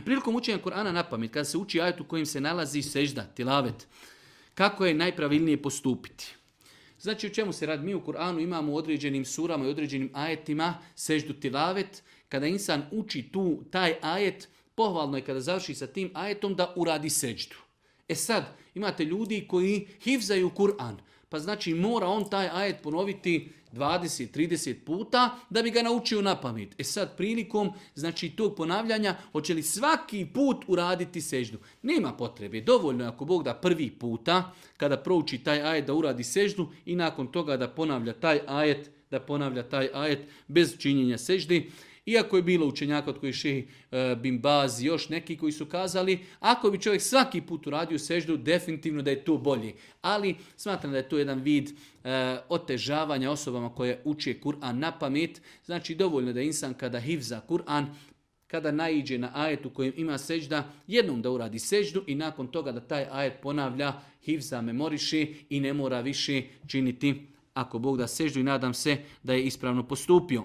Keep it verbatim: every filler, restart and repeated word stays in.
Prilikom učenja Kur'ana na pamet, kada se uči ajet u kojem se nalazi sežda, tilavet, kako je najpravilnije postupiti? Znači, u čemu se radi? Mi u Kur'anu imamo u određenim surama i određenim ajetima seždu tilavet. Kada insan uči tu taj ajet, pohvalno je kada završi sa tim ajetom da uradi seždu. E sad, imate ljudi koji hifzaju Kur'an, pa znači mora on taj ajet ponoviti dvadeset trideset puta da bi ga naučio na pamet. E sad, prilikom znači tog ponavljanja, hoće li svaki put uraditi seždu? Nema potrebe, dovoljno je ako Bog da prvi puta, kada prouči taj ajet da uradi seždu i nakon toga da ponavlja taj ajet, da ponavlja taj ajet bez činjenja seždi. Iako je bilo učenjaka od koji šehi e, Bin Baz i još neki koji su kazali, ako bi čovjek svaki put uradio seždu, definitivno da je to bolje. Ali smatram da je to jedan vid e, otežavanja osobama koje uče Kur'an na pamet. Znači dovoljno da insan kada hifza Kur'an, kada naiđe na ajet u kojem ima sežda, jednom da uradi seždu i nakon toga da taj ajet ponavlja, hifza, memoriše i ne mora više činiti ako Bog da seždu i nadam se da je ispravno postupio.